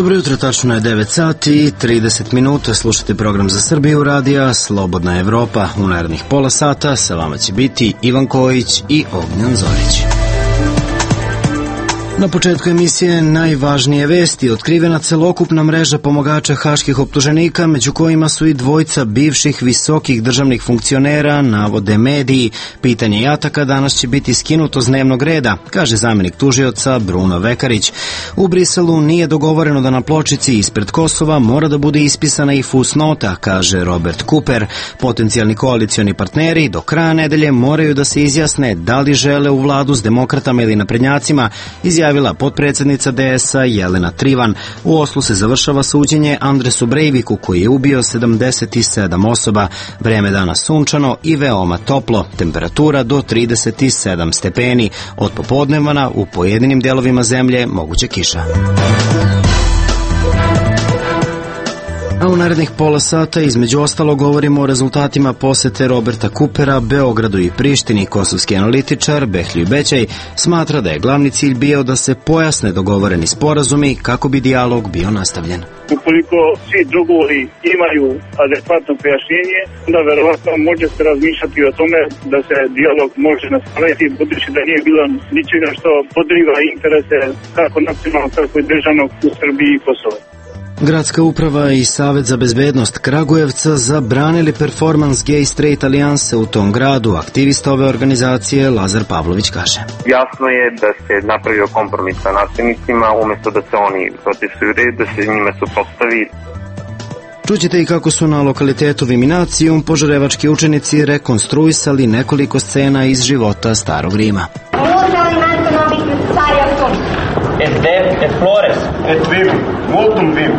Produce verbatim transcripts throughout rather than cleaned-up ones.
Dobro jutro, tačno je devet sati i trideset minuta, slušate program za Srbiju radija Slobodna Evropa. U narednih pola sata sa vama će biti Ivan Kojić i Ognjan Zorić. Na početku emisije najvažnije vesti. Otkrivena celokupna mreža pomagača haških optuženika, među kojima su i dvojca bivših visokih državnih funkcionera, navode mediji. Pitanje jataka danas će biti skinuto s dnevnog reda, kaže zamenik tužioca Bruno Vekarić. U Briselu nije dogovoreno da na pločici ispred Kosova mora da bude ispisana i fusnota, kaže Robert Cooper. Potencijalni koalicioni partneri do kraja nedelje moraju da se izjasne da li žele u vladu s demokratama ili naprednjacima, izjavila potpredsednica D S A Jelena Trivan. U Oslu se završava suđenje Andresu Breiviku, koji je ubio sedamdeset sedam osoba. Vreme danas sunčano i veoma toplo, temperatura do trideset sedam stepeni. Od popodnevana u pojedinim delovima zemlje moguća kiša. A u narednih pola sata između ostalo govorimo o rezultatima posete Roberta Coopera Beogradu i Prištini. Kosovski analitičar Behlju Bećaj smatra da je glavni cilj bio da se pojasne dogovoreni sporazumi kako bi dijalog bio nastavljen. Ukoliko svi dogovori imaju adekvatno pojašnjenje, da verovatno može se razmišljati o tome da se dijalog može nastaviti, budući da nije bilo ničega što podriva interese kako nacionalnog, tako i državnog u Srbiji i Kosovo. Gradska uprava i Savet za bezbednost Kragujevca zabranili performans Gay Straight Alijanse u tom gradu. Aktivista ove organizacije Lazar Pavlović kaže: Jasno je da se napravio kompromis sa nasilnicima, umesto da se oni protestuju red, da se njime suprotstavi. Čućete i kako su na lokalitetu Viminacijum požarevački učenici rekonstruisali nekoliko scena iz života Starog Rima. Et de, et flores, et vim, multum vim.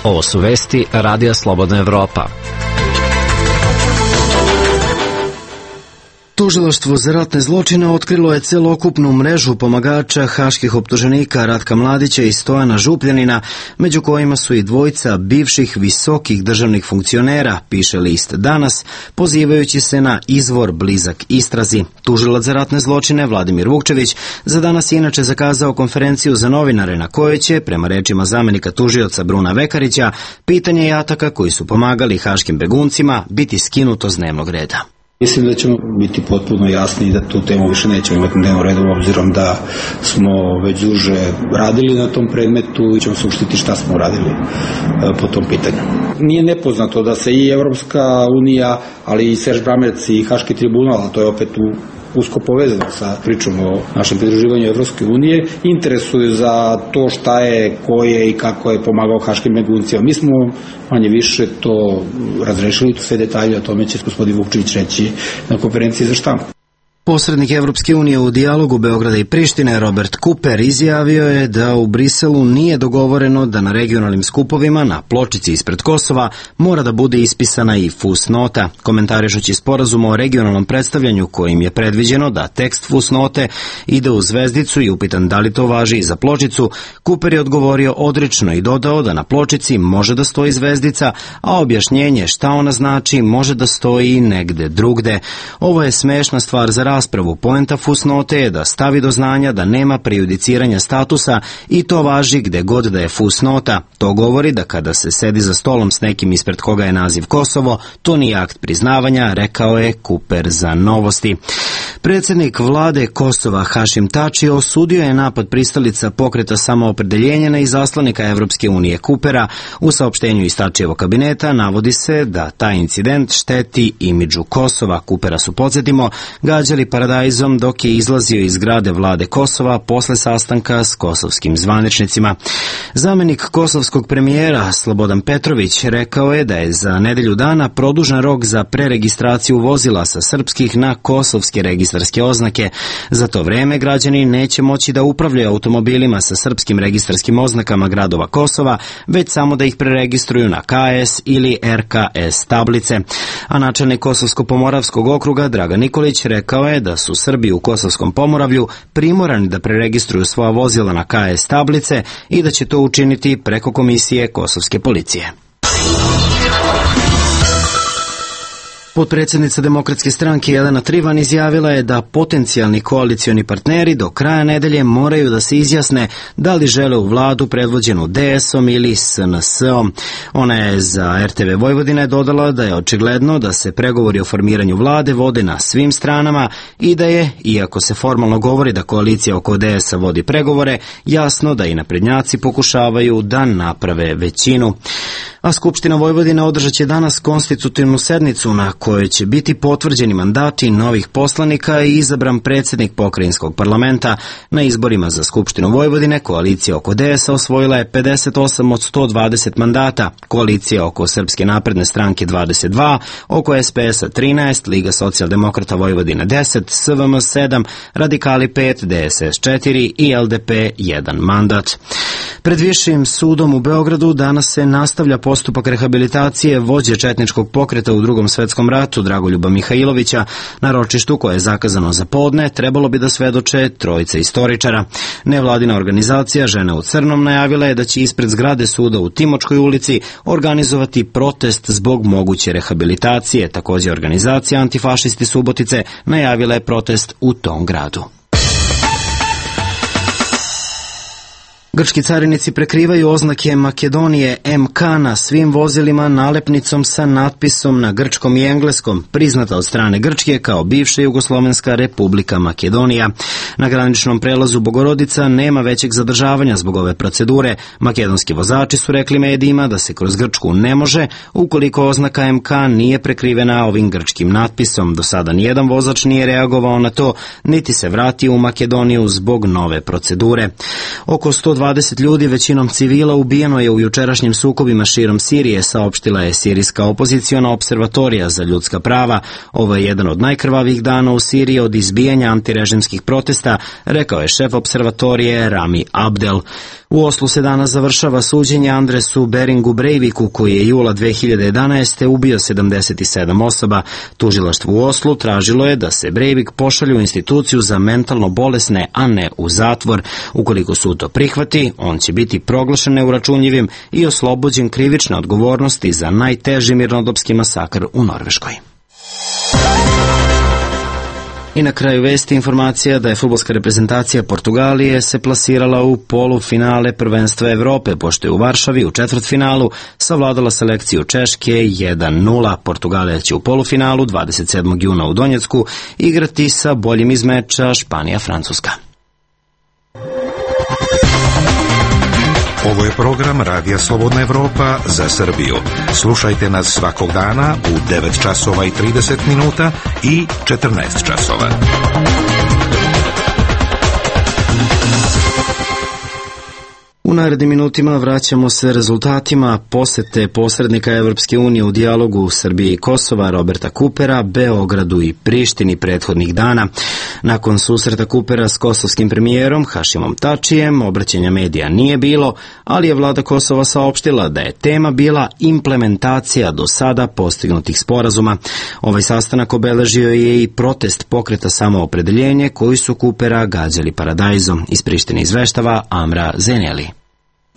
Ovo su vesti Radija Slobodna Evropa. Tužilaštvo za ratne zločine otkrilo je celokupnu mrežu pomagača haških optuženika Ratka Mladića i Stojana Župljanina, među kojima su i dvojca bivših visokih državnih funkcionera, piše list Danas, pozivajući se na izvor blizak istrazi. Tužilac za ratne zločine Vladimir Vukčević za danas je inače zakazao konferenciju za novinare na kojoj će, prema rečima zamenika tužioca Bruna Vekarića, pitanje jataka koji su pomagali haškim beguncima biti skinuto s dnevnog reda. Mislim da ćemo biti potpuno jasni da tu temu više nećemo imati na dnevnom redu, obzirom da smo već duže radili na tom predmetu i ćemo suštiti šta smo radili po tom pitanju. Nije nepoznato da se i Evropska unija, ali i Serž Bramec i Haški tribunal, a to je opet u usko povezano sa pričom o našem pridruživanju Evropske unije, interesuju za to šta je, ko je i kako je pomagao haškim beguncima. Mi smo manje više to razrešili, to sve detalje, o tome će gospodin Vukčević reći na konferenciji za štampu. Posrednik Evropske unije u dijalogu Beograda i Prištine Robert Cooper izjavio je da u Briselu nije dogovoreno da na regionalnim skupovima na pločici ispred Kosova mora da bude ispisana i fusnota. Komentarišući sporazum o regionalnom predstavljanju kojim je predviđeno da tekst fusnote ide u zvezdicu i upitan da li to važi i za pločicu, Cooper je odgovorio odrično i dodao da na pločici može da stoji zvezdica, a objašnjenje šta ona znači može da stoji i negde drugde. Ovo je smešna stvar za raspravu. Poenta fusnote je da stavi do znanja da nema prejudiciranja statusa i to važi gde god da je fusnota. To govori da kada se sedi za stolom s nekim ispred koga je naziv Kosovo, to nije akt priznavanja, rekao je Cooper za Novosti. Predsjednik vlade Kosova Hašim Tači osudio je napad pristalica pokreta samoopredeljenja na izaslanika Evropske unije Coopera. U saopštenju iz Tačijevog kabineta navodi se da taj incident šteti imidžu Kosova. Coopera su, podsjetimo, gađali paradajzom dok je izlazio iz zgrade vlade Kosova posle sastanka s kosovskim zvaničnicima. Zamenik kosovskog premijera Slobodan Petrović rekao je da je za nedelju dana produžen rok za preregistraciju vozila sa srpskih na kosovske registarske oznake. Za to vreme građani neće moći da upravljaju automobilima sa srpskim registarskim oznakama gradova Kosova, već samo da ih preregistruju na K S ili R K S tablice. A načelnik Kosovsko-Pomoravskog okruga Dragan Nikolić rekao je da su Srbi u Kosovskom Pomoravlju primorani da preregistruju svoja vozila na K S tablice i da će to učiniti preko komisije kosovske policije. Potpredsjednica Demokratske stranke Jelena Trivan izjavila je da potencijalni koalicioni partneri do kraja nedelje moraju da se izjasne da li žele u vladu predvođenu D S-om ili S N S-om. Ona je za R T V Vojvodine dodala da je očigledno da se pregovori o formiranju vlade vode na svim stranama i da je, iako se formalno govori da koalicija oko D S-a vodi pregovore, jasno da i naprednjaci pokušavaju da naprave većinu. A Skupština Vojvodine održat će danas konstitutivnu sednicu na kojoj će biti potvrđeni mandati novih poslanika i izabran predsjednik pokrajinskog parlamenta. Na izborima za Skupštinu Vojvodine koalicija oko D S-a osvojila je pedeset osam od sto dvadeset mandata, koalicija oko Srpske napredne stranke dvadeset dva, oko S P S-a trinaest, Liga socijaldemokrata Vojvodine deset, S V M sedam, Radikali pet, D S S četiri i L D P jedan mandat. Pred Višim sudom u Beogradu danas se nastavlja postupak rehabilitacije vođe četničkog pokreta u Drugom svetskom ratu Dragoljuba Mihajlovića. Na ročištu koje je zakazano za podne trebalo bi da svedoče trojica istoričara. Nevladina organizacija Žene u crnom najavila je da će ispred zgrade suda u Timočkoj ulici organizovati protest zbog moguće rehabilitacije. Također organizacija Antifašisti Subotice najavila je protest u tom gradu. Grčki carinici prekrivaju oznake Makedonije M K na svim vozilima nalepnicom sa natpisom na grčkom i engleskom, priznata od strane Grčke kao bivša Jugoslovenska republika Makedonija. Na graničnom prelazu Bogorodica nema većeg zadržavanja zbog ove procedure. Makedonski vozači su rekli medijima da se kroz Grčku ne može ukoliko oznaka M K nije prekrivena ovim grčkim natpisom. Do sada nijedan vozač nije reagovao na to, niti se vratio u Makedoniju zbog nove procedure. Oko sto dvadeset ljudi, većinom civila, ubijeno je u jučerašnjim sukobima širom Sirije, saopštila je sirijska opoziciona observatorija za ljudska prava. Ovo je jedan od najkrvavijih dana u Siriji od izbijanja antirežimskih protesta, rekao je šef observatorije Rami Abdel. U Oslu se danas završava suđenje Andresu Beringu Breiviku, koji je jula dve hiljade jedanaeste. ubio sedamdeset sedam osoba. Tužilaštvo u Oslu tražilo je da se Breivik pošalje u instituciju za mentalno bolesne, a ne u zatvor. Ukoliko sud to prihvati, on će biti proglašen neuračunljivim i oslobođen krivične odgovornosti za najteži mirnodopski masakr u Norveškoj. I na kraju vesti informacija da je fudbalska reprezentacija Portugalije se plasirala u polufinale prvenstva Evrope, pošto je u Varšavi u četvrtfinalu savladala selekciju Češke jedan nula. Portugalija će u polufinalu dvadeset sedmog juna u Donjecku igrati sa boljim iz meča Španija-Francuska. Ovo je program Radija Slobodna Evropa za Srbiju. Slušajte nas svakog dana u devet časova i trideset minuta i četrnaest časova. U narednim minutima vraćamo se rezultatima posete posrednika Evropske unije u dijalogu Srbije i Kosova Roberta Kupera, Beogradu i Prištini prethodnih dana. Nakon susreta Kupera s kosovskim premijerom Hašimom Tačijem, obraćanja medija nije bilo, ali je vlada Kosova saopštila da je tema bila implementacija do sada postignutih sporazuma. Ovaj sastanak obeležio je i protest pokreta Samoopredeljenje koji su Kupera gađali paradajzom. Iz Prištine izveštava Amra Zeneli.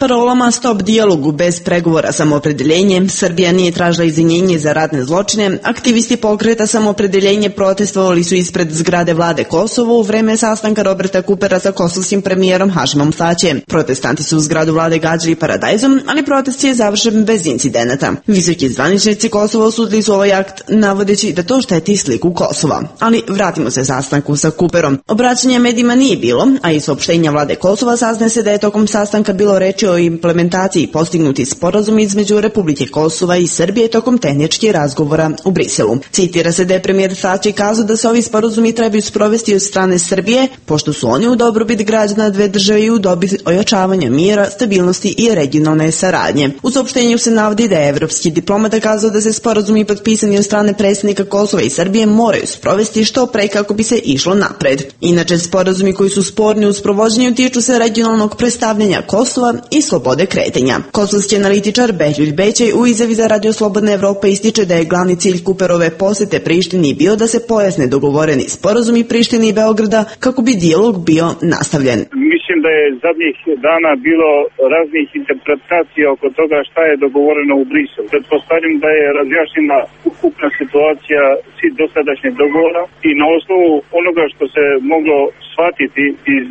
Parolama stop dijalogu bez pregovora Samoopredeljenje, Srbija nije tražila izvinjenje za ratne zločine, aktivisti pokreta Samoopredeljenje protestovali su ispred zgrade vlade Kosovo u vreme sastanka Roberta Kupera sa kosovskim premijerom Hašimom Tačijem. Protestanti su u zgradu vlade gađali paradajzom, ali protest je završen bez incidenata. Visoki zvaničnici Kosova osudili su ovaj akt, navodeći da to šteti sliku Kosova. Ali vratimo se sastanku sa Kuperom. Obraćanja medijima nije bilo, a iz saopštenja vlade Kosova saznaje se da je tokom sastanka bilo reči o implementaciji postignuti sporazum između Republike Kosova i Srbije tokom tehničkih razgovora u Briselu. Citira se da je premijer Tači kazao da se ovi sporazumi trebaju sprovesti od strane Srbije, pošto su oni u dobrobit građana dve države i u dobit ojačavanja mira, stabilnosti i regionalne saradnje. U saopštenju se navodi da je evropski diplomata kazao da se sporazumi potpisani od strane predsjednika Kosova i Srbije moraju sprovesti što pre kako bi se išlo napred. Inače, sporazumi koji su sporni u sprovođenju tiču se regionalnog predstavljanja Kosova i i slobode kretanja. Kosovski analitičar Behljuljt Bećaj u izjavi za Radio Slobodna Evropa ističe da je glavni cilj Kuperove posete Prištini bio da se pojasne dogovoreni sporazumi Prištine i Beograda kako bi dijalog bio nastavljen. Mislim da je zadnjih dana bilo raznih interpretacija oko toga šta je dogovoreno u Briselu. Pretpostavljam da je razjašnjena ukupna situacija svih dosadašnjeg dogovora i na osnovu onoga što se moglo shvatiti iz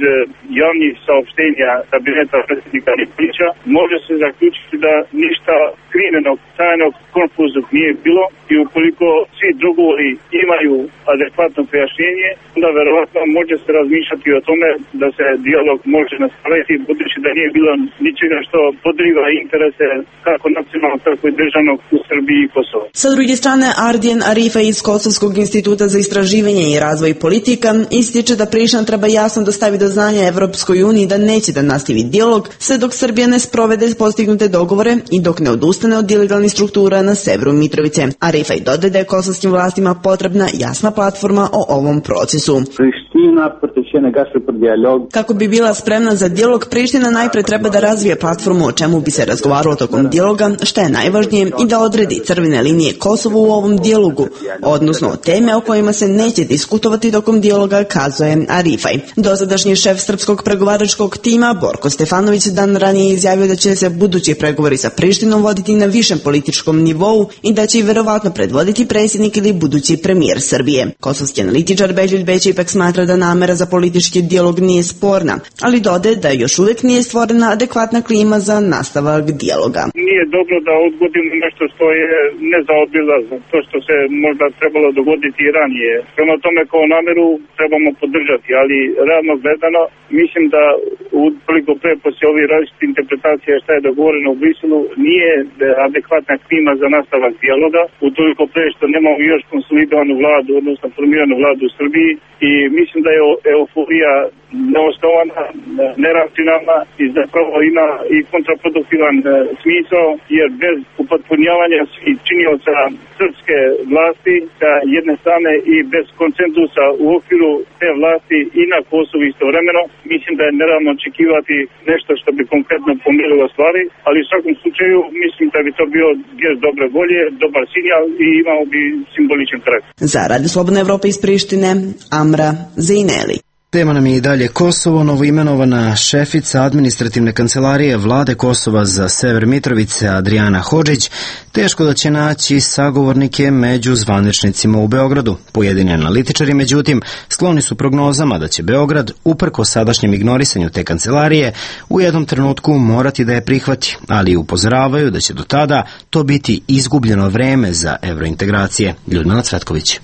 javnih saopštenja kabineta predsjednika Nikolića, može se zaključiti da ništa skrivenog, tajnog, konfuznog nije bilo i ukoliko svi dogovori imaju adekvatno pojašnjenje, onda verovatno može se razmišljati o tome da se dijalog može nastaviti, budući da nije bilo ničega što podriva interese kako nacionalnog, tako i državnog u Srbiji i Kosovo. Sa druge strane, Ardijan Arifa iz Kosovskog instituta za istraživanje i razvoj politika ističe da Priština treba jasno dostavi do znanja Evropskoj uniji da neće da nastavi dijalog sve dok Srbija ne sprovede postignute dogovore i dok ne odustane od ilegalnih struktura na severu Mitrovice. Arifaj dodaje da je kosovskim vlastima potrebna jasna platforma o ovom procesu. Kako bi bila spremna za dijalog, Priština najpre treba da razvije platformu o čemu bi se razgovaralo tokom dijaloga, šta je najvažnije, i da odredi crvene linije Kosovo u ovom dijalogu, odnosno teme o kojima se neće diskutovati tokom dijaloga, kazuje Arifaj. Dosadašnji šef srpskog pregovaračkog tima Borko Stefanović dan ranije izjavio da će se budući pregovori sa Prištinom voditi na višem političkom nivou i da će ih verovatno predvoditi predsjednik ili budući premijer Srbije. Kosovski analitičar Behljuljt Bećaj ipak smatra da namera za politički dijalog nije sporna, ali dodaje da još uvijek nije stvorena adekvatna klima za nastavak dijaloga. Nije dobro da odgodimo nešto što je nezaobilazno, to što se možda trebalo dogoditi i ranije. Prema tome kao nameru trebamo podržati, ali realno gledano mislim da ukoliko pre poslije ovih različitih interpretacija šta je dogovoreno u Briselu nije adekvatna klima za nastavak dijaloga, utoliko pre što nemamo još konsolidovanu vladu, odnosno formiranu vladu u Srbiji i mislim da je euforija neosnovana, neracionalna i zapravo ima i kontraproduktivan smisao, jer bez upotpunjavanja svih činioca srpske vlasti sa jedne strane i bez konsenzusa u okviru te vlasti i na Kosovu istovremeno, mislim da je neravno očekivati nešto što bi konkretno pomirilo stvari, ali u svakom slučaju mislim da bi to bio gest dobre volje, dobar signal i imao bi simboličan karakter. Za Radio Slobodna Evropa iz Prištine, Amra Zejneli. Tema nam je i dalje Kosovo. Novoimenovana šefica administrativne kancelarije vlade Kosova za sever Mitrovice, Adriana Hodžić, teško da će naći sagovornike među zvaničnicima u Beogradu. Pojedini analitičari, međutim, skloni su prognozama da će Beograd, uprko sadašnjem ignorisanju te kancelarije, u jednom trenutku morati da je prihvati, ali upozoravaju da će do tada to biti izgubljeno vreme za evrointegracije. Ljudmila Cvetković.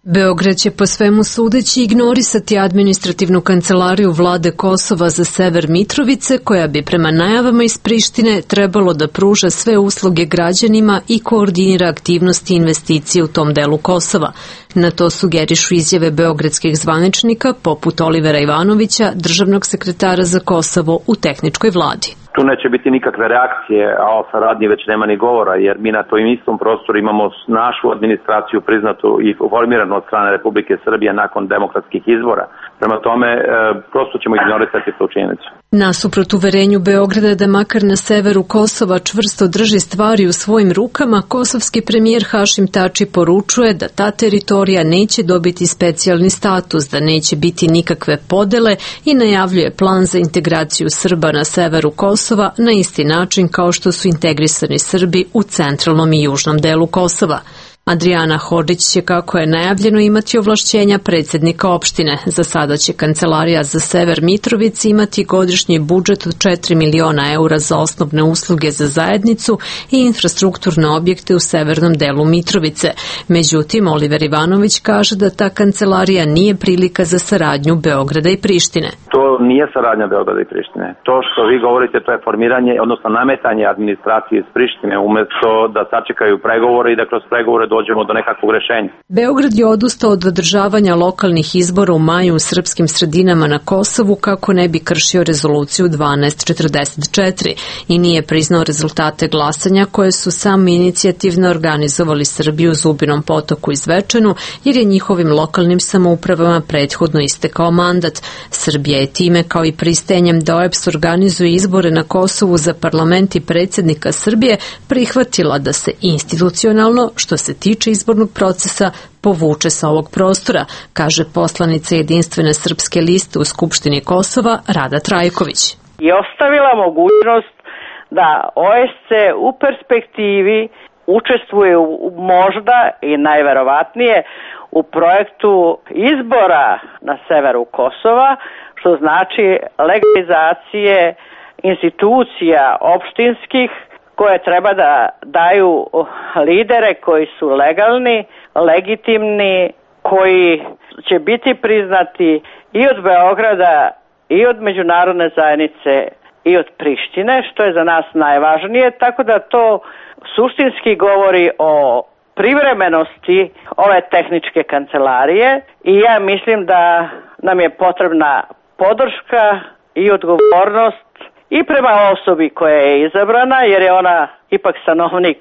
Beograd će po svemu sudeći ignorisati administrativnu kancelariju vlade Kosova za sever Mitrovice, koja bi prema najavama iz Prištine trebalo da pruža sve usluge građanima i koordinira aktivnosti i investicije u tom delu Kosova. Na to sugerišu izjave beogradskih zvaničnika poput Olivera Ivanovića, državnog sekretara za Kosovo u tehničkoj vladi. Tu neće biti nikakve reakcije, a o saradnji već nema ni govora, jer mi na tom istom prostoru imamo našu administraciju priznatu i formiranu od strane Republike Srbije nakon demokratskih izbora. Prema tome, e, prosto ćemo ignorisati tu činjenicu. Nasuprot uverenju Beograda da makar na severu Kosova čvrsto drži stvari u svojim rukama, kosovski premijer Hašim Tači poručuje da ta teritorija neće dobiti specijalni status, da neće biti nikakve podele i najavljuje plan za integraciju Srba na severu Kosova na isti način kao što su integrisani Srbi u centralnom i južnom delu Kosova. Adriana Hodžić će, kako je najavljeno, imati ovlašćenja predsjednika opštine. Za sada će kancelarija za sever Mitrovice imati godišnji budžet od četiri miliona eura za osnovne usluge za zajednicu i infrastrukturne objekte u severnom delu Mitrovice. Međutim, Oliver Ivanović kaže da ta kancelarija nije prilika za saradnju Beograda i Prištine. To nije saradnja Beograda i Prištine. To što vi govorite, to je formiranje, odnosno nametanje administracije iz Prištine, umjesto da sačekaju pregovore i da kroz pregovore dođemo do nekakvog rešenja. Beograd je odustao od održavanja lokalnih izbora u maju u srpskim sredinama na Kosovu kako ne bi kršio rezoluciju dvanaest četrdeset četiri i nije priznao rezultate glasanja koje su sami inicijativno organizovali Srbi u Zubinom Potoku i Zvečanu, jer je njihovim lokalnim samoupravama prethodno istekao mandat. Srbija je time time kao i pristajanjem da O E B S organizuje izbore na Kosovu za parlament i predsjednika Srbije, prihvatila da se institucionalno, što se tiče izbornog procesa, povuče sa ovog prostora, kaže poslanica Jedinstvene srpske liste u Skupštini Kosova Rada Trajković. I ostavila mogućnost da O E S C u perspektivi učestvuje u, možda i najverovatnije u projektu izbora na severu Kosova, što znači legalizacije institucija opštinskih koje treba da daju lidere koji su legalni, legitimni, koji će biti priznati i od Beograda i od međunarodne zajednice i od Prištine, što je za nas najvažnije, tako da to suštinski govori o privremenosti ove tehničke kancelarije i ja mislim da nam je potrebna podrška i odgovornost i prema osobi koja je izabrana, jer je ona ipak stanovnik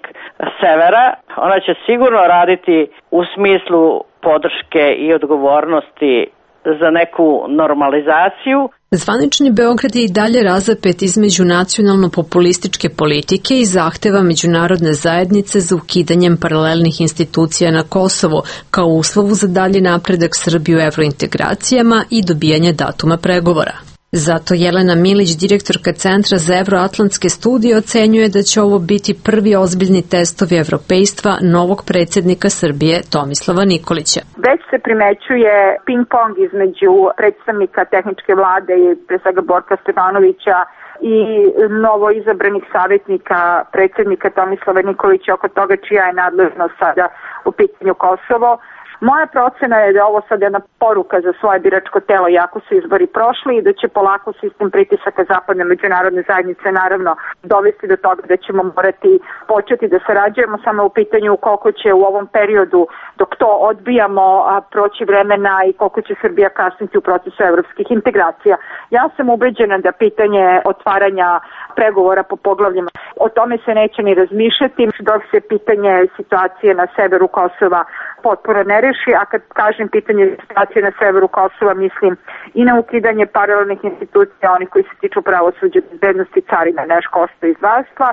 severa. Ona će sigurno raditi u smislu podrške i odgovornosti za neku normalizaciju. Zvanični Beograd je i dalje razapet između nacionalno-populističke politike i zahteva međunarodne zajednice za ukidanjem paralelnih institucija na Kosovu kao uslovu za dalji napredak Srbije u evrointegracijama i dobijanje datuma pregovora. Zato Jelena Milić, direktorka Centra za evroatlantske studije, ocenjuje da će ovo biti prvi ozbiljni testovi evropejstva novog predsjednika Srbije Tomislava Nikolića. Već se primećuje ping-pong između predstavnika tehničke vlade i pre svega Borka Stefanovića i novo izabranih savjetnika predsjednika Tomislava Nikolića oko toga čija je nadležnost sada u pitanju Kosovo. Moja procena je da ovo sad jedna poruka za svoje biračko telo, iako su izbori prošli, i da će polako sistem pritisaka zapadne međunarodne zajednice naravno dovesti do toga da ćemo morati početi da sarađujemo, samo u pitanju koliko će u ovom periodu dok to odbijamo a, proći vremena i koliko će Srbija kasniti u procesu evropskih integracija. Ja sam ubeđena da pitanje otvaranja pregovora po poglavljima, o tome se neće ni razmišljati dok se pitanje situacije na severu Kosova potpuno ne reši, a kad kažem pitanje situacije na severu Kosova, mislim i na ukidanje paralelnih institucija, oni koji se tiču pravosuđa, bezbednosti, carina, neškolstva i zdravstva,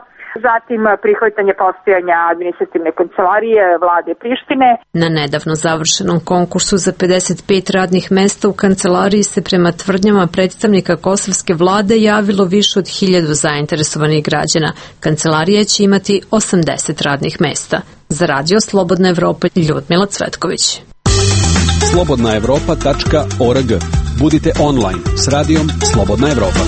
zatim prihvatanje postojanja administrativne kancelarije vlade Prištine. Na nedavno završenom konkursu za pedeset pet radnih mesta u kancelariji se prema tvrdnjama predstavnika kosovske vlade javilo više od hiljadu zainteresovanih građana. Kancelarija će imati osamdeset radnih mesta. Za Radio Slobodna Evropa, Ljudmila Cvetković. slobodna evropa tačka org. Budite online s radijom Slobodna Evropa.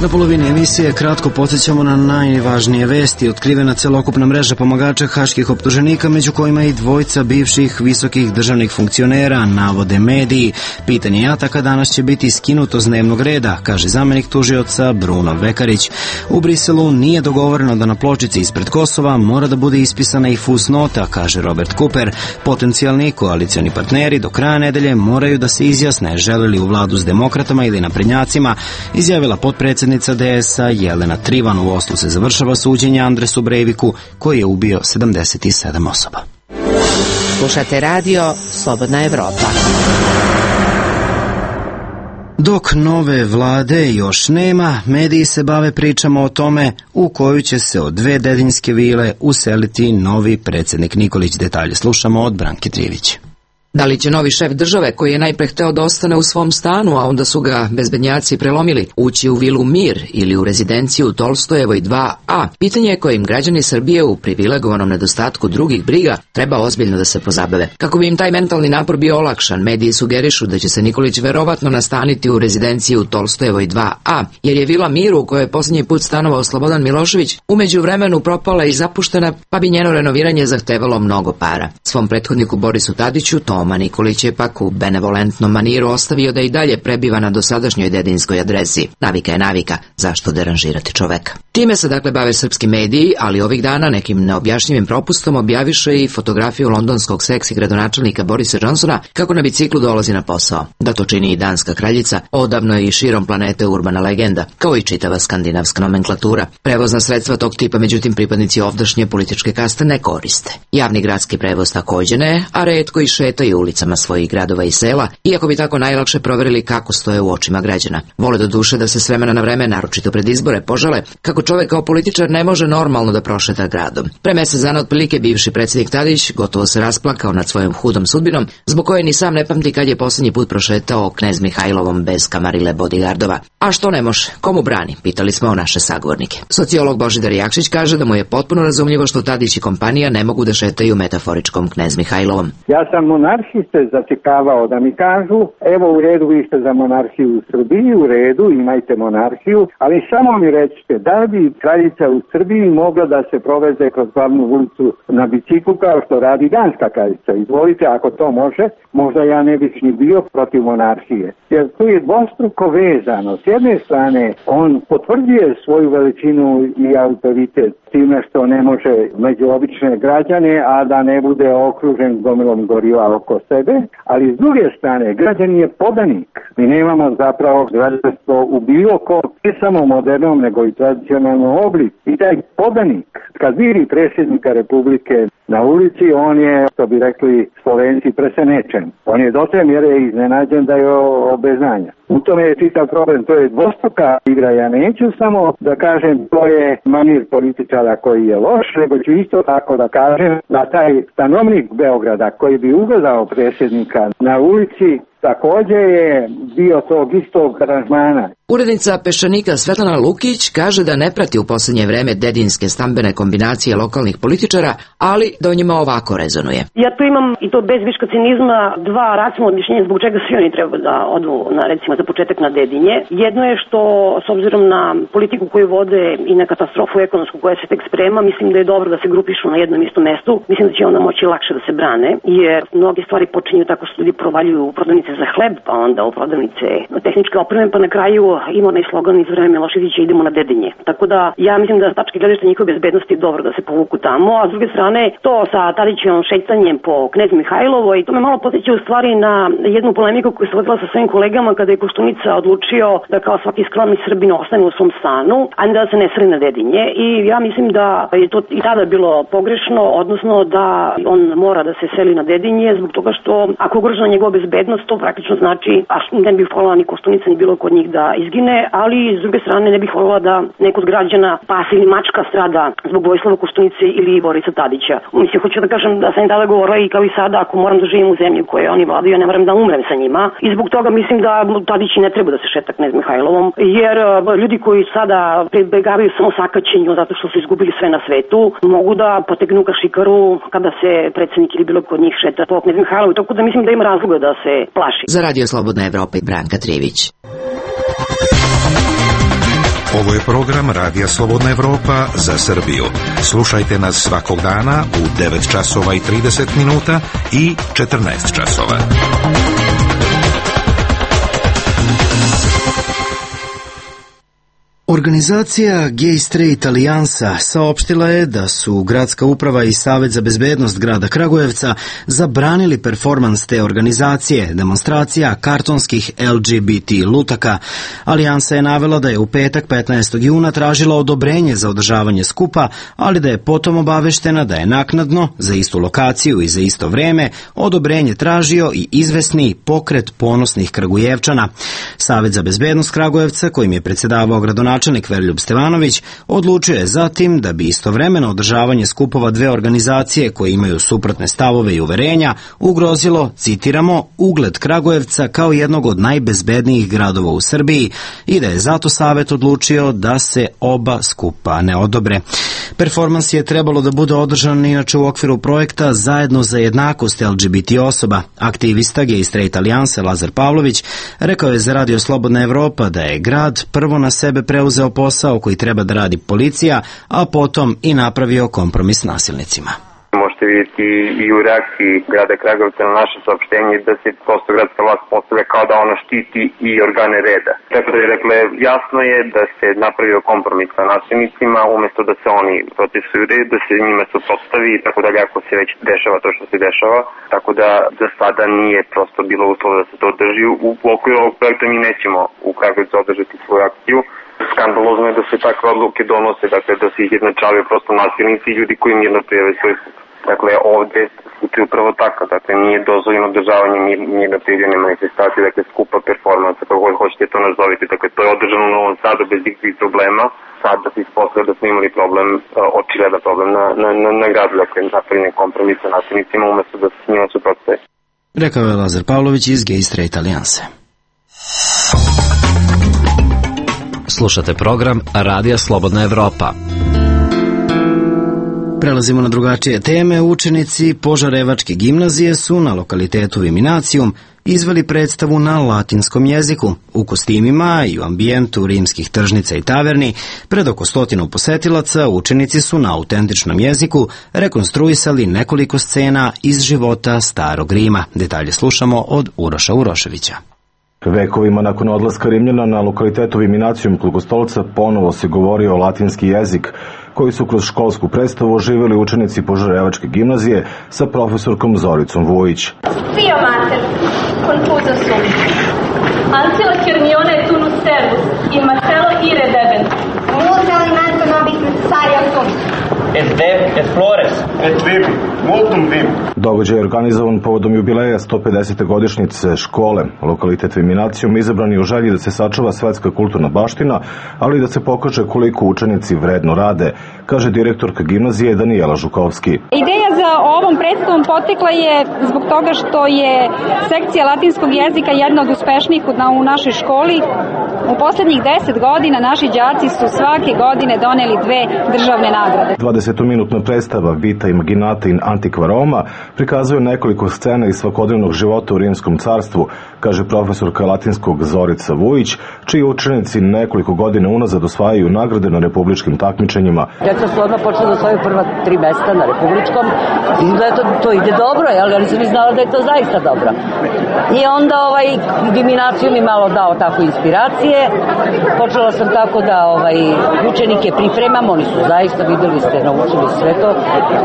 Na polovini emisije kratko podsjećamo na najvažnije vesti. Otkrivena celokupna mreža pomagača haških optuženika, među kojima i dvojca bivših visokih državnih funkcionera, navode mediji. Pitanje ataka danas će biti skinuto s dnevnog reda, kaže zamenik tužioca Bruno Vekarić. U Briselu nije dogovoreno da na pločici ispred Kosova mora da bude ispisana i fusnota, kaže Robert Cooper. Potencijalni koalicioni partneri do kraja nedelje moraju da se izjasne žele li u vladu s demokratama ili naprednjacima, izjavila potpredsjednica D S A Jelena Trivan. U Oslu se završava suđenje Andresu Breiviku, koji je ubio sedamdeset sedam osoba. Slušate radio Slobodna Evropa. Dok nove vlade još nema, mediji se bave pričama o tome u koju će se od dve dedinjske vile useliti novi predsjednik Nikolić. Detalje slušamo od Branke Trivić. Da li će novi šef države, koji je najpre hteo da ostane u svom stanu, a onda su ga bezbednjaci prelomili, ući u vilu Mir ili u rezidenciju Tolstojevoj dva A? Pitanje je kojim građani Srbije u privilegovanom nedostatku drugih briga treba ozbiljno da se pozabave. Kako bi im taj mentalni napor bio olakšan, mediji sugerišu da će se Nikolić verovatno nastaniti u rezidenciju Tolstojevoj dva A, jer je vila Mir, u kojoj je posljednji put stanovao Slobodan Milošević, umeđu vremenu propala i zapuštena, pa bi njeno renoviranje zahtevalo mnogo para. Svom prethodniku Borisu Tadiću Toma Nikolić je pak u benevolentnom maniru ostavio da i dalje prebiva na dosadašnjoj dedinskoj adresi. Navika je navika, zašto deranžirati čoveka? Time se dakle bave srpski mediji, ali ovih dana nekim neobjašnjivim propustom objaviše i fotografiju londonskog seksi gradonačelnika Borisa Johnsona kako na biciklu dolazi na posao. Da to čini i danska kraljica, odavno je i širom planete urbana legenda, kao i čitava skandinavska nomenklatura. Prevozna sredstva tog tipa, međutim, pripadnici ovdašnje političke kaste ne koriste. Javni gradski prevoz takođe ne, a retko i šetaju ulicama svojih gradova i sela, iako bi tako najlakše proverili kako stoje u očima građana. Vole do duše da se s vremena na vreme, naročito pred izbore, požale kako čovek kao političar ne može normalno da prošeta gradom. Pre mesec dana otprilike bivši predsjednik Tadić gotovo se rasplakao nad svojom hudom sudbinom, zbog koje ni sam ne pamti kad je posljednji put prošetao knez Mihajlovom bez kamarile bodigardova. A što ne može? Komu brani? Pitali smo naše sagovornike. Sociolog Božidar Jakšić kaže da mu je potpuno razumljivo što Tadić i kompanija ne mogu da šetaju metaforičkom knez Mihajlovom. Ja sam monarhiste zatekavao da mi kažu, evo u redu, vi ste za monarhiju u Srbiji, u redu, imajte monarhiju, ali samo mi recite, da bi kraljica u Srbiji mogla da se proveze kroz glavnu ulicu na biciklu kao što radi danska kraljica. Izvolite, ako to može, možda ja ne bih ni bio protiv monarhije. Jer tu je dvostruko vezano. S jedne strane, on potvrđuje svoju veličinu i autoritet time što ne može među obične građane, a da ne bude okružen gomilom goriva oko sebe, ali s druge strane, građan je podanik. Mi nemamo zapravo građanstvo u bilo kom, ne samo modernom, nego i tradicionalnom obliku. I taj podanik, kad vidi predsjednika Republike na ulici, on je, što bi rekli Slovenci, presenečen. On je do te mjere iznenađen da je obeznanja. U tome je čitav problem, to je dvostruka igra. Ja neću samo da kažem to je manir političara koji je loš, nego ću isto tako da kažem da taj stanovnik Beograda koji bi ugledao predsjednika na ulici također je bio tog istog aranžmana. Urednica Peščanika Svetlana Lukić kaže da ne prati u posljednje vreme dedinske stambene kombinacije lokalnih političara, ali da o njima ovako rezonuje. Ja tu imam, i to bez viška cinizma, dva racionalna objašnjenja zbog čega svi oni treba da odu na, recimo, za početak na Dedinje. Jedno je što, s obzirom na politiku koju vode i na katastrofu ekonomsku koja se tek sprema, mislim da je dobro da se grupišu na jednom istom mestu. Mislim da će onda moći lakše da se brane, jer mnoge stvari počinju tako što ljudi provaljuju u prodavnice za hleb, pa onda u prodavnice tehničke opreme, pa na kraju ima onaj slogan iz vreme Miloševića, idemo na Dedinje. Tako da ja mislim da s tačke gledišta njihove bezbednosti je dobro da se povuku tamo, a s druge strane to sa Tadićevim šetanjem po knez Mihajlovo, i to me malo podsjeća u stvari na jednu polemiku koju se vodila sa svojim kolegama kada je Koštunica odlučio da kao svaki skromni Srbin ostane u svom stanu, a ne da se ne seli na Dedinje. I ja mislim da je to i tada bilo pogrešno, odnosno da on mora da se seli na Dedinje zbog toga što ako ugrožena njegova bezbednost, to praktično znači, a ne bih voljela ni Koštunica ni bilo kod njih da izgine, ali s druge strane ne bih voljela da neko od građana pas ili mačka strada zbog Vojislava Koštunice ili Borisa Tadića. Mislim, hoću da kažem da sam i tada govorila i kao i sada, ako moram da živim u zemlji koje oni vladaju, ja ne moram da umrem sa njima. I zbog toga mislim da Tadić ne treba da se šeta knez Mihajlovom, jer ljudi koji sada pribegavaju samo sakaćenju zato što su izgubili sve na svetu, mogu da potegnu kašikaru kada se predsjednik ili bilo kod njih šeta po knez Mihajlovu, tako da mislim da ima razloga da se plaši. Za Radio Slobodna Evropa i Branka Trivić. Ovo je program Radija Slobodna Evropa za Srbiju. Slušajte nas svakog dana u devet časova i trideset minuta i četrnaest časova. Organizacija Gay Straight Alijansa saopštila je da su Gradska uprava i Savet za bezbednost grada Kragujevca zabranili performans te organizacije, demonstracija kartonskih L G B T lutaka. Alijansa je navela da je u petak petnaestog juna tražila odobrenje za održavanje skupa, ali da je potom obaveštena da je naknadno, za istu lokaciju i za isto vreme, odobrenje tražio i izvesni Pokret ponosnih Kragujevčana. Savet za bezbednost Kragujevca, kojim je predsjedavao gradonačelnik Načelnik Veroljub Stevanović odlučio je zatim da bi istovremeno održavanje skupova dve organizacije koje imaju suprotne stavove i uverenja ugrozilo, citiramo, ugled Kragujevca kao jednog od najbezbednijih gradova u Srbiji i da je zato Savet odlučio da se oba skupa ne odobre. Performans je trebalo da bude održan inače u okviru projekta Zajedno za jednakost L G B T osoba. Aktivista Gay Straight Alijanse Lazar Pavlović rekao je za Radio Slobodna Evropa da je grad prvo na sebe preuzeo posao koji treba da radi policija, a potom i napravio kompromis s nasilnicima. možete vidjeti i u reakciji grada Kragujevca na naše saopštenje da se prosto gradska vlast postavlja kao da ona štiti i organe reda. Tako da je, dakle, jasno je da se napravio kompromis sa nasilnicima, umesto da se oni protestuju red, da se njima suprotstavi i tako dalje, ako se već dešava to što se dešava. Tako da za sada nije prosto bilo uslova da se to održi. U okviru ovog projekta mi nećemo u Kragujevcu održati svoju akciju. Skandalozno je da se takve odluke donose, dakle da se izjednačavaju prosto nasilnici i ljudi koji mirno prijave svoj skup. Dakle, ovde slučaj upravo tako, dakle nije dozvoljeno održavanje mirno prijavljene manifestacije, dakle skupa performansa, kako god hoćete to nazovite, dakle to je održano u Novom Sadu bez ikakvih problema. Sad da se ispostavlja da smo imali problem, očigledan problem na, na, na, na gradu, dakle napravljen kompromis sa nasilnicima umesto da se s njima suprotstavi. Rekao je Lazar Pavlović iz Gay Straight Alijanse. Slušate program Radija Slobodna Evropa. Prelazimo na drugačije teme. Učenici Požarevačke gimnazije su na lokalitetu Viminacijum izveli predstavu na latinskom jeziku. U kostimima i u ambijentu rimskih tržnica i taverni pred oko stotinu posetilaca učenici su na autentičnom jeziku rekonstruisali nekoliko scena iz života starog Rima. Detalje slušamo od Uroša Uroševića. Vekovima nakon odlaska Rimljana na lokalitetu Viminacijum kod Kostolca ponovo se govorio latinski jezik, koji su kroz školsku predstavu oživjeli učenici Požarevačke gimnazije sa profesorkom Zoricom Vujić. Fio mater, confuso sum. Ancilla Cernione tunus servus, in Marcello ire debent. Multa alimento nobis necessaria sunt. Et deb, et flores, et vim, multum vim. Događaj je organizovan povodom jubileja sto pedesete godišnjice škole. Lokalitet Viminacijum izabran je u želji da se sačuva svetska kulturna baština, ali da se pokaže koliko učenici vredno rade, kaže direktorka gimnazije Danijela Žukovski. Ideja za ovom predstavom potekla je zbog toga što je sekcija latinskog jezika jedna od uspešnijih u našoj školi. U poslednjih deset godina naši đaci su svake godine doneli dve državne nagrade. dvadesetominutna predstava Vita Imaginata in Antiqua Roma prikazuje nekoliko scena iz svakodnevnog života u Rimskom carstvu, kaže profesorka latinskog Zorica Vujić, čiji učenici nekoliko godina unazad osvajaju nagrade na republičkim takmičenjima. Deca su odmah počela da osvajaju prva tri mesta na republičkom. Izgleda to, to ide dobro, jel? Ali sam i znala da je to zaista dobro. I onda ovaj Viminacijum mi malo dao tako inspiracije. Počela sam tako da ovaj učenike pripremam, oni su zaista, videli ste, naučili sve to.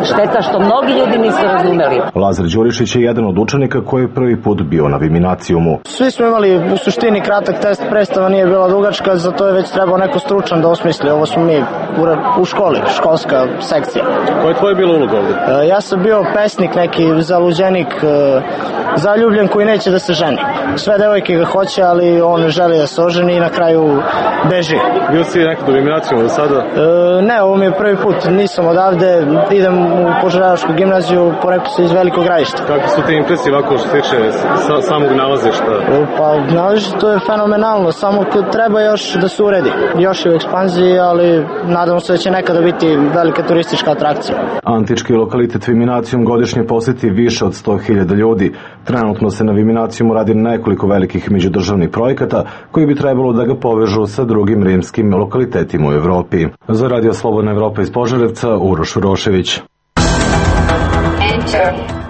Šteta što mnogi ljudi nisu razumeli. Lazar Đurišić je jedan od učenika koji je prvi put bio na Viminacijumu. Svi smo imali u suštini kratak test, predstava nije bila dugačka, zato je već trebao neko stručan da osmisli. Ovo smo mi u, u školi, školska sekcija. Koja je tvoja bila uloga ovde? E, ja sam bio pesnik, neki zaluđenik, e, zaljubljen koji neće da se ženi. Sve devojke ga hoće, ali on ne želi da se oženi i na kraju beži. Bio si nekad u Viminacijumu do sada? E, ne, ovo mi je prvi put, nisam odavde, idem u Požarevačku gimnaziju, porekao se iz Velikog Gradišta. Kako su te impresije ovako što se tiče sa, samog nalazišta? E, pa nalazište to je fenomenalno, samo treba još da se uredi. Još je u ekspanziji, ali nadamo se da će nekada biti velika turistička atrakcija. Antički lokalitet Viminacijum godišnje poseti više od sto hiljada ljudi. Trenutno se na Viminacijumu radi nekoliko velikih međudržavnih projekata koji bi trebalo da ga povežu sa drugim rimskim lokalitetima u Evropi. Za Radio Slobodna Evropa iz Požarevca, Uroš Urošević.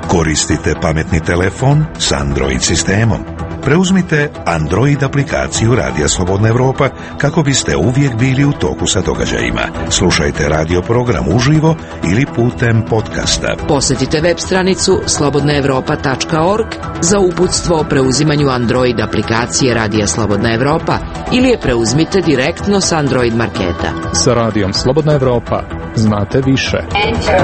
Koristite pametni telefon s Android sistemom. Preuzmite Android aplikaciju Radija Slobodna Evropa kako biste uvijek bili u toku sa događajima. Slušajte radio program uživo ili putem podcasta. Posjetite web stranicu slobodna evropa tačka org za uputstvo o preuzimanju Android aplikacije Radija Slobodna Evropa ili je preuzmite direktno s Android marketa. Sa Radijom Slobodna Evropa znate više. Enter.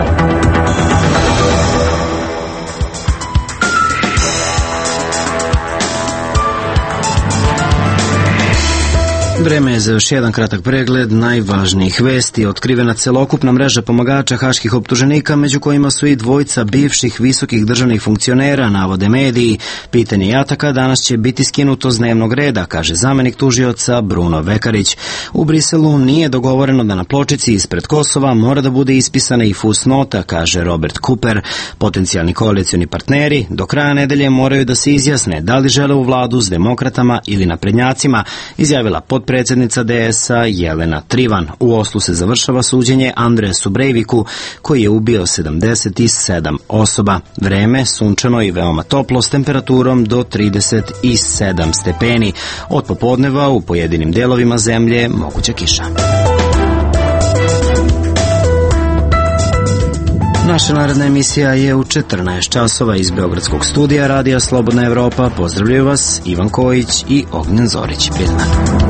Vreme je za još jedan kratak pregled najvažnijih vesti. Otkrivena celokupna mreža pomagača haških optuženika, među kojima su i dvojica bivših visokih državnih funkcionera, navode mediji. Pitanje jataka danas će biti skinuto s dnevnog reda, kaže zamenik tužioca Bruno Vekarić. U Briselu nije dogovoreno da na pločici ispred Kosova mora da bude ispisana i fusnota, kaže Robert Cooper. Potencijalni koalicioni partneri do kraja nedelje moraju da se izjasne da li žele u vladu s demokratama ili naprednjacima, izjavila potpredsjednica predsjednica D S A Jelena Trivan. U Oslu se završava suđenje Andresu Breiviku, koji je ubio sedamdeset sedam osoba. Vreme sunčano i veoma toplo s temperaturom do trideset sedam stepeni. Od popodneva u pojedinim delovima zemlje moguća kiša. Naša naredna emisija je u četrnaest časova iz Beogradskog studija Radija Slobodna Evropa. Pozdravljaju vas Ivan Kojić i Ognjen Zorić. Prijatno.